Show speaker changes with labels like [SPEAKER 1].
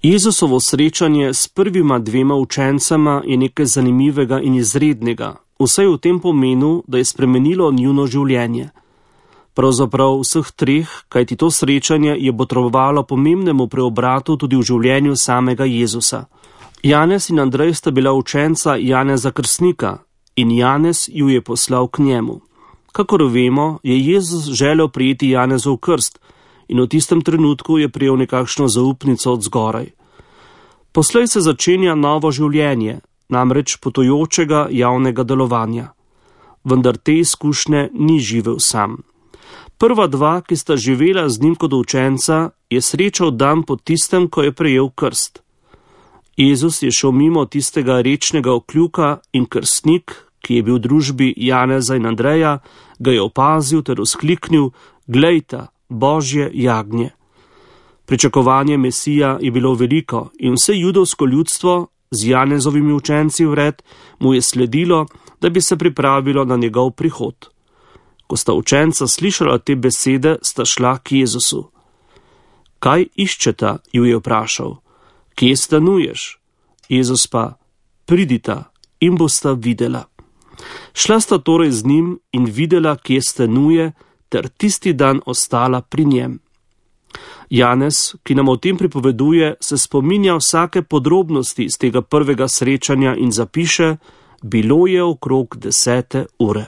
[SPEAKER 1] Jezusovo srečanje s prvima dvema učencema je nekaj zanimivega in izrednega, vsaj v tem pomenu, da je spremenilo njuno življenje. Pravzaprav vseh treh, kajti to srečanje je botrovalo pomembnemu preobratu tudi v življenju samega Jezusa. Janez in Andrej sta bila učenca Janeza Krstnika in Janez ju je poslal k njemu. Kakor vemo, je Jezus želel prijeti Janezov krst in v tistem trenutku je prijel nekakšno zaupnico od zgoraj. Poslej se začenja novo življenje, namreč potujočega javnega delovanja. Vendar te izkušnje ni živel sam. Prva dva, ki sta živela z njim kot učenca, je srečal dan po tistem, ko je prejel krst. Jezus je šel mimo tistega rečnega okljuka in krstnik, ki je bil v družbi Janeza in Andreja, ga je opazil ter vzkliknil: "Glejta, Božje jagnje." Pričakovanje Mesija je bilo veliko in vse judovsko ljudstvo z Janezovimi učenci vred mu je sledilo, da bi se pripravilo na njegov prihod. Ko sta učenca slišala te besede, sta šla k Jezusu. "Kaj iščeta?" ju je vprašal. "Kje stanuješ?" Jezus pa: "Pridita in bosta videla." Šla sta torej z njim in videla, kje stanuje, ter tisti dan ostala pri njem. Janez, ki nam o tem pripoveduje, se spominja vsake podrobnosti iz tega prvega srečanja in zapiše: "Bilo je okrog 10. ure."